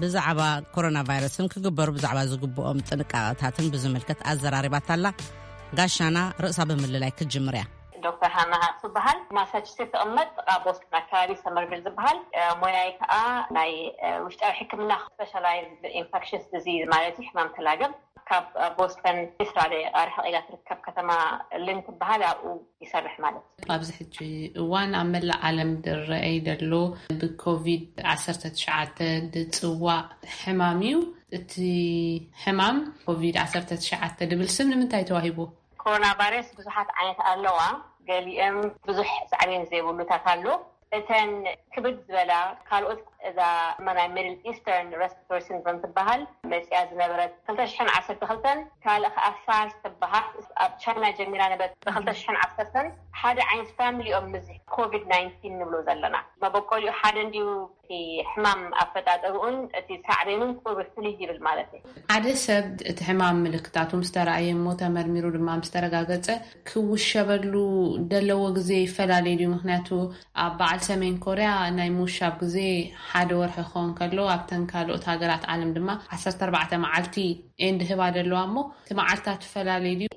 ብዛዕባ ኮሮና ቫይረስን ክግበሩ ብዛዕባ ዝግብኦም ጥንቃቐታትን ብዝምልከት ኣዘራሪባታላ። ጋሻና ርእሳ ብምልላይ ክትጅምር እያ። ዶክተር ሃና ሃቅ ዝበሃል ማሳቹሴትስ ትቕመጥ፣ ጥቓ ቦስተን ኣካባቢ ሰመርቪል ዝበሃል። እ፣ ሞያይ ከዓ ናይ፣ እ፣ ውሽጣዊ ሕክምና፣ ስፔሻላይዝድ ኢንፌክሽስ ዲዚዝ ማለት እዩ፣ ሕማም ተላገብ። ካብ ቦስተን ዕስራ ደቂቃ ርሕቕ ኢላ ትርከብ ከተማ ሊን ትበሃል፣ ኣብኡ ይሰርሕ ማለት እዩ። ኣብዚ ሕጂ እዋን ኣብ መላእ ዓለም ዝረኣይ ዘሎ ብኮቪድ ዓሰርተ ትሽዓተ ዝጽዋዕ ሕማም እዩ። እቲ ሕማም ኮቪድ ዓሰርተ ትሽዓተ ዝብል ስም ንምንታይ ተዋሂቡ? ኮሮና ቫይረስ ብዙሓት ዓይነት ኣለዋ። ገሊኦም ብዙሕ ሳዕቤን ዘይብሉታት ኣሎ። እተን ክብድ ዝበላ ካልኦት፣ እዛ ናይ ሚድል ኢስተርን ሬስፒራቶሪ ሲንድሮም ትበሃል መፅያ ዝነበረት ክልተ ሽሕን ዓሰርተ ክልተን፣ ካልእ ከዓ ሳርስ ትበሃል ኣብ ቻይና ጀሚራ ነበረት ብክልተ ሽሕን ዓሰርተን። ሓደ ዓይነት ፋሚሊ እዮም ምስዚ ኮቪድ ናይንቲን ንብሎ ዘለና። መበቆሊኡ ሓደ እንድዩ፣ እቲ ሕማም ኣፈጣጠርኡን እቲ ሳዕቤኑን ቁሩብ ፍልይ ይብል ማለት እዩ። ሓደ ሰብ እቲ ሕማም ምልክታቱ ምስ ተረኣየ እሞ ተመርሚሩ ድማ ምስ ተረጋገጸ ክውሸበሉ ዘለዎ ግዜ ይፈላለ ድዩ? ምኽንያቱ ኣብ በዓል ሰሜን ኮርያ ናይ ምውሻብ ግዜ ሓደ ወርሒ ክኸውን ከሎ፣ ኣብተን ካልኦት ሃገራት ዓለም ድማ ዓሰርተ ኣርባዕተ መዓልቲ ኤንድ ህባ ደለዋ እሞ፣ እቲ መዓልታት ትፈላለ ድዩ?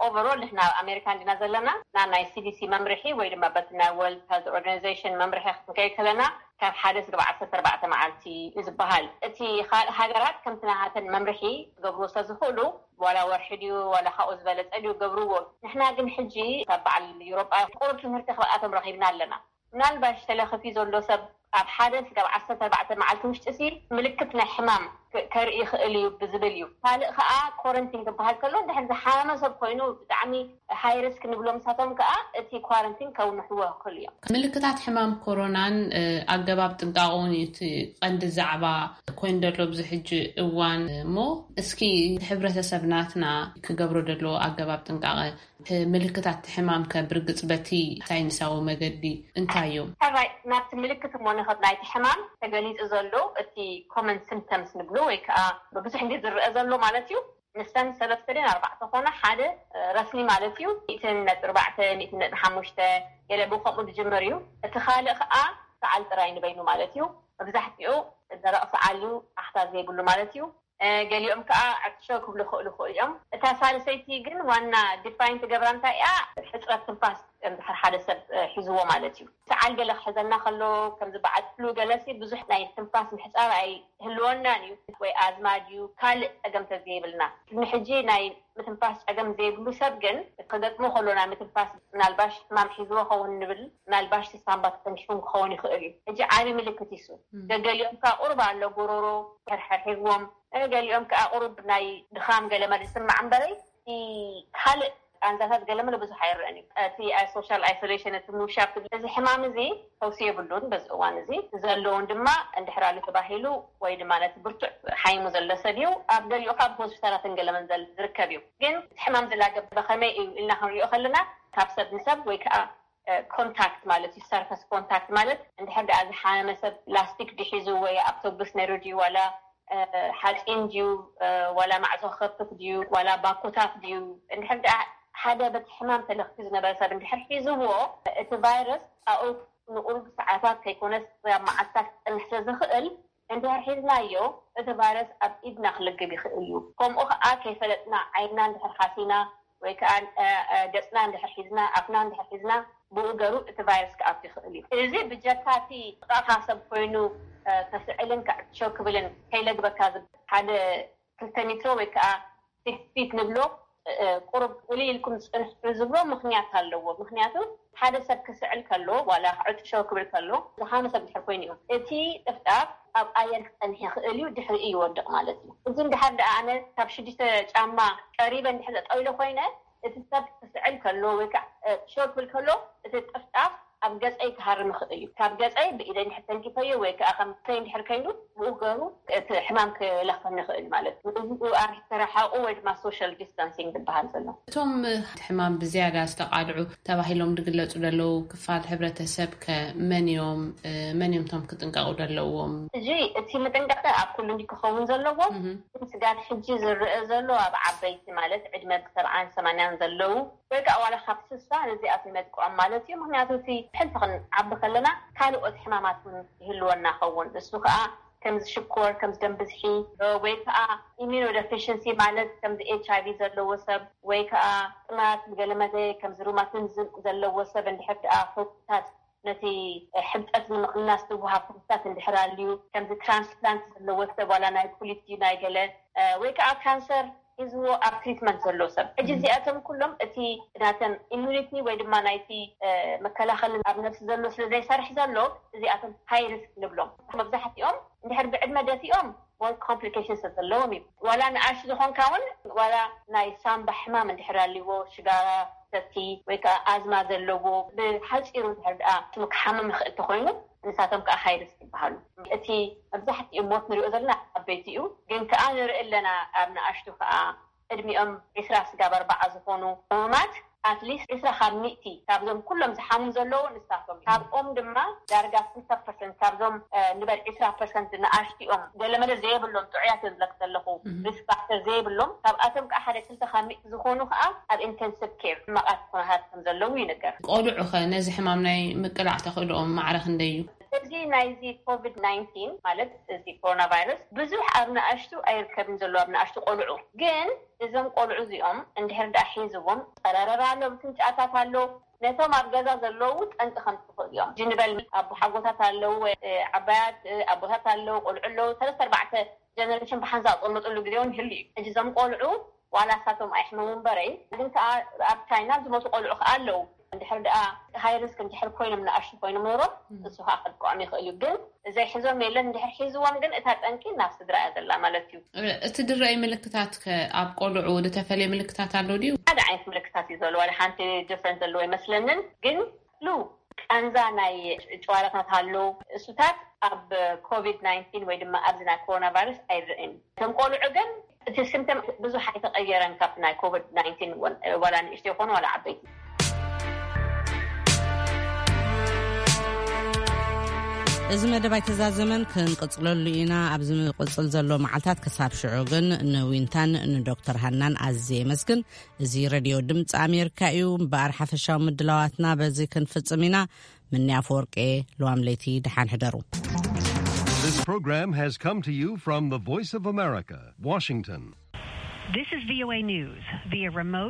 ኦቨሮል ንሕና ኣብ ኣሜሪካ እንዲና ዘለና፣ ና ናይ ሲዲሲ መምርሒ ወይ ድማ በቲ ናይ ወርልድ ሄልት ኦርጋናይዜሽን መምርሒ ክንከይድ ከለና፣ ካብ ሓደ ስጋብ ዓሰርተ ኣርባዕተ መዓልቲ እዩ ዝበሃል። እቲ ካልእ ሃገራት ከምቲ ናሃተን መምርሒ ክገብርዎ ስለ ዝኽእሉ፣ ዋላ ወርሒ ድዩ ዋላ ካብኡ ዝበለጸ ድዩ ገብርዎ። ንሕና ግን ሕጂ ካብ በዓል ዩሮጳ ቁሩብ ትምህርቲ ክብኣቶም ረኺብና ኣለና። ምናልባሽ ተለኺፉ ዘሎ ሰብ ኣብ ሓደ ስጋብ ዓሰርተ ኣርባዕተ መዓልቲ ውሽጢ ሲ ምልክት ናይ ሕማም ከርኢ ይኽእል እዩ ብዝብል እዩ። ካልእ ከዓ ኮረንቲን ክበሃል ከሎ እንድሕር ዝሓመመ ሰብ ኮይኑ ብጣዕሚ ሃይሪስክ ንብሎም ንሳቶም ከዓ እቲ ኳረንቲን ከውንሕዎ ይኽእሉ እዮም። ምልክታት ሕማም ኮሮናን ኣገባብ ጥንቃቐውን እዩ እቲ ቀንዲ ዛዕባ ኮይኑ ዘሎ ኣብዚ ሕጂ እዋን። እሞ እስኪ እቲ ሕብረተሰብ ናትና ክገብሮ ዘለዎ ኣገባብ ጥንቃቐ፣ ምልክታት ሕማም ከብርግፅ በቲ ሳይንሳዊ መገዲ እንታይ እዮም? ሕራይ ናብቲ ምልክት እሞ ንኸድ ናይቲ ሕማም ተገሊፁ ዘሎ እቲ ኮመን ሲምፕተምስ ንብሎ ወይ ከዓ ብብዙሕ ግዜ ዝረአ ዘሎ ማለት እዩ። ንሰን ሰለስተ ደን ኣርባዕተ ኮነ ሓደ ረስኒ ማለት እዩ። ሚእትን ነጥቢ ኣርባዕተ፣ ሚእትን ነጥቢ ሓሙሽተ፣ ገለ ብከምኡ ዝጅምር እዩ። እቲ ካልእ ከዓ ሰዓል ጥራይ ንበይኑ ማለት እዩ። መብዛሕትኡ ደረቕ ሰዓል እዩ፣ ኣኽታ ዘይብሉ ማለት እዩ። ገሊኦም ከዓ ዕጥሾ ክብሉ ክእሉ ክእሉ እዮም። እታ ሳልሰይቲ ግን ዋና ዲፋይን ትገብራ እንታይ እያ? ሕፅረት ትንፋስ እንድሕር ሓደ ሰብ ሒዝዎ ማለት እዩ። ሰዓል ገለ ክሕዘና ከሎ ከምዚ በዓል ፍሉ ገለሲ ብዙሕ ናይ ትንፋስ ምሕፃር ኣይህልወናን እዩ። ወይ ኣዝማ ድዩ ካልእ ፀገም ተዘይብልና፣ ቅድሚ ሕጂ ናይ ምትንፋስ ፀገም ዘይብሉ ሰብ ግን ክገጥሞ ከሎ ናይ ምትንፋስ ምናልባሽ ሕማም ሒዝዎ ኸውን ንብል፣ ምናልባሽ ሳምባ ተጠንኪፉም ክኸውን ይኽእል እዩ። ሕጂ ዓቢ ምልክት ይሱ ገገሊኦም ከዓ ቁርብ ኣሎ ጎሮሮ ሕርሕር ሒዝዎም፣ ገሊኦም ከዓ ቁሩብ ናይ ድኻም ገለ መለ ዝስማዕ እምበረይ፣ እቲ ካልእ ቃንዛታት ገለ መለ ብዙሕ ኣይረአን እዩ። እቲ ሶሻል ኣይሶሌሽን፣ እቲ ምውሻብ፣ እዚ ሕማም እዚ ፈውሲ የብሉን። በዚ እዋን እዚ ዘለውን ድማ እንድሕር ኣሎ ተባሂሉ ወይ ድማ ነቲ ብርቱዕ ሓይሙ ዘሎ ሰብ እዩ። ኣብ ገሊኡ ካብ ሆስፒታላትን ገለመን ዝርከብ እዩ። ግን እቲ ሕማም ዝላገበ ከመይ እዩ ኢልና ክንሪኦ ከለና ካብ ሰብ ንሰብ ወይ ከዓ ኮንታክት ማለት እዩ፣ ሰርፈስ ኮንታክት ማለት እንድሕር ደኣ ዝሓመመ ሰብ ላስቲክ ድሒዙ ወይ ኣውቶቡስ ነይሩ ድዩ ዋላ ሓፂን ድዩ ዋላ ማዕፆ ክኸፍት ድዩ ዋላ ባኮታት ድዩ፣ እንድሕር ደኣ ሓደ በቲ ሕማም ተለኽዩ ዝነበረ ሰብ እንድሕር ሒዝዎ፣ እቲ ቫይረስ ኣብኡ ንቁሩብ ሰዓታት ከይኮነስ ኣብ መዓልታት ክፀንሕ ስለ ዝኽእል፣ እንድሕር ሒዝናዮ እቲ ቫይረስ ኣብ ኢድና ክልግብ ይኽእል እዩ። ከምኡ ከዓ ከይፈለጥና ዓይንና እንድሕር ሓሲና ወይ ከዓ ገፅና እንድሕር ሒዝና ኣፍና እንድሕር ሒዝና ብኡ ገሩ እቲ ቫይረስ ክኣቱ ይኽእል እዩ። እዚ ብጀካ እቲ ጥቃካ ሰብ ኮይኑ ከስዕልን ክዕሾ ክብልን ከይለግበካ ዝብል ሓደ ክልተ ሜትሮ ወይ ከዓ ሲክስ ፊት ንብሎ ቁሩብ እልይ ኢልኩም ፅንሑ ዝብሎ ምኽንያት ኣለዎ። ምኽንያቱ ሓደ ሰብ ክስዕል ከሎ ዋላ ክዕጥሾ ክብል ከሎ ዝሓመ ሰብ ድሕር ኮይኑ እዩ። እቲ ጥፍጣፍ ኣብ ኣየር ክፀንሕ ይኽእል እዩ፣ ድሕሪ እዩ ይወድቕ ማለት እዩ። እዚ እንድሓር ደኣ ኣነ ካብ ሽዱሽተ ጫማ ቀሪበ እንድሕር ጠጠው ኢለ ኮይነ እቲ ሰብ ክስዕል ከሎ ወይ ከዓ ሾ ክብል ከሎ እቲ ጥፍጣፍ ኣብ ገፀይ ክሃርም ይኽእል እዩ። ካብ ገፀይ ብኢደይ እንድሕር ተንኪፈዮ ወይ ከዓ ከም ከይ እንድሕር ከይኑ ብኡ ገሩ እቲ ሕማም ክለኽፈኒ ይኽእል ማለት እዩ። እዚ ኣርሒ ተረሓቑ ወይ ድማ ሶሻል ዲስታንሲንግ ዝበሃል ዘሎ። እቶም ሕማም ብዝያዳ ዝተቓልዑ ተባሂሎም ዝግለፁ ዘለዉ ክፋል ሕብረተሰብ ከ መን እዮም? መን እዮም እቶም ክጥንቀቑ ዘለዎም? እዚ እቲ ምጥንቃቐ ኣብ ኩሉ እንዲ ክኸውን ዘለዎ። ስጋት ሕጂ ዝረአ ዘሎ ኣብ ዓበይቲ ማለት ዕድመ ብሰብዓን ሰማንያን ዘለዉ ወይ ከዓ ዋላ ካብ ስሳ ነዚኣት ይመጥቅዖም ማለት እዩ። ምክንያቱ እቲ ሕልፊ ክንዓቢ ከለና ካልኦት ሕማማት እውን ይህልወና ኸውን። እሱ ከዓ ከምዚ ሽኮር፣ ከምዚ ደም ብዝሒ ወይ ከዓ ኢሚኖ ደፊሽንሲ ማለት ከምዚ ኤች ኣይ ቪ ዘለዎ ሰብ ወይ ከዓ ጥማት ገለመለ ከምዚ ሩማቲዝም ዘለዎ ሰብ እንድሕር ደኣ ፈውስታት ነቲ ሕብጠት ንምቕናስ ዝወሃብ ፈውስታት እንድሕር ኣልዩ ከምዚ ትራንስፕላንት ዘለዎ ሰብ ዋላ ናይ ኩሊት ድዩ ናይ ገለ ወይ ከዓ ካንሰር ሒዝዎ ኣብ ትሪትመንት ዘሎ ሰብ። ሕጂ እዚኣቶም ኩሎም እቲ ናተን ኢሚዩኒቲ ወይ ድማ ናይቲ መከላኸሊ ኣብ ነብሲ ዘሎ ስለ ዘይሰርሕ ዘሎ እዚኣቶም ሃይ ሪስክ ንብሎም። መብዛሕትኦም እንድሕር ብዕድመ ደፊኦም ሞር ኮምፕሊኬሽን ስለ ዘለዎም እዩ። ዋላ ንኣሽ ዝኾንካ እውን ዋላ ናይ ሳምባ ሕማም እንድሕር ኣልዎ ሽጋራ ሰቲ ወይ ከዓ ኣዝማ ዘለዎ ብሓፂሩ እንድሕር ደኣ ስሙ ክሓምም ይኽእል ተኮይኑ ንሳቶም ከዓ ሃይ ሪስክ ይበሃሉ። እቲ መብዛሕትኡ ሞት ንሪኦ ዘለና ዓበይቲ እዩ፣ ግን ከዓ ንርኢ ኣለና ኣብ ንኣሽቱ ከዓ ዕድሚኦም ዒስራ ስጋብ ኣርባዓ ዝኾኑ ሕሙማት ኣትሊስት ዒስራ ካብ ሚእቲ ካብዞም ኩሎም ዝሓሙ ዘለዉ ንሳቶም ካብኦም ድማ ዳርጋ ክልተ ፐርሰንት ካብዞም ንበል ዒስራ ፐርሰንት ንኣሽቲኦም ገለመለ ዘይብሎም ጥዑያት እዮም ዝለክ ዘለኹ ሪስክ ፋክተር ዘይብሎም ካብኣቶም ከዓ ሓደ ክልተ ካብ ሚእቲ ዝኾኑ ከዓ ኣብ ኢንተንሲቭ ኬር ሕማቓት ኩነታት ከም ዘለዉ ይንገር። ቆልዑ ኸ ነዚ ሕማም ናይ ምቅላዕ ተኽእልኦም ማዕረ ክንደይ እዩ? እዚ ናይዚ ኮቪድ ናይንቲን ማለት እዚ ኮሮና ቫይረስ ብዙሕ ኣብ ንኣሽቱ ኣይርከብን ዘሎ ኣብ ንኣሽቱ ቆልዑ ግን እዞም ቆልዑ እዚኦም እንድሕር ደኣ ሒዝዎም ፀረረር ኣሎ፣ ብፍንጫታት ኣሎ፣ ነቶም ኣብ ገዛ ዘለዉ ጠንቂ ከም ትኽእል እዮም። ጅንበል ኣቦሓጎታት ኣለዉ፣ ዓባያት ኣቦታት ኣለዉ፣ ቆልዑ ኣለዉ፣ ሰለስተ ኣርባዕተ ጀነሬሽን ብሓንሳእ ዝቕመጥሉ ግዜ እውን ይህሉ እዩ። ሕጂ እዞም ቆልዑ ዋላ ሳቶም ኣይሕመሙ እምበረይ፣ ግን ከዓ ኣብ ቻይና ዝሞቱ ቆልዑ ከዓ ኣለዉ። እንድሕር ደኣ ሃይ ሪስክ እንድሕር ኮይኖም፣ ንኣሽቱ ኮይኖም ኖሮም፣ እሱ ከዓ ከጥቅዖም ይኽእል እዩ። ግን ዘይሕዞም የለን። እንድሕር ሒዝዎም ግን እታ ጠንቂ ናብ ስድራ እያ ዘላ ማለት እዩ። እቲ ድረኣይ ምልክታት ከ ኣብ ቆልዑ ዝተፈለየ ምልክታት ኣሎ ድዩ? ሓደ ዓይነት ምልክታት እዩ ዘሎ። ዋላ ሓንቲ ዲፍረንት ዘለዎ ኣይመስለንን። ግን ሉ ቃንዛ ናይ ጨዋራታት ኣሎ። እሱታት ኣብ ኮቪድ ናይንቲን ወይ ድማ ኣብዚ ናይ ኮሮና ቫይረስ ኣይረእን። እቶም ቆልዑ ግን እቲ ሲምፕተም ብዙሕ ኣይተቐየረን ካብ ናይ ኮቪድ ናይንቲን፣ ዋላ ንእሽቶ ይኾኑ ዋላ ዓበይቲ። እዚ መደብ ኣይተዛዘመን፣ ክንቅጽለሉ ኢና። ኣብዚ ምቕጽል ዘሎ መዓልታት ክሳብ ሽዑ ግን ንዊንታን ንዶክተር ሃናን ኣዝየ የመስግን። እዚ ሬድዮ ድምፂ ኣሜሪካ እዩ። እምበኣር ሓፈሻዊ ምድላዋትና በዚ ክንፍጽም ኢና። ምኒ ኣፈወርቄ፣ ለዋም ለይቲ ደሓን ሕደሩ። This program has come to you from the Voice of America, Washington. This is V O A News via remote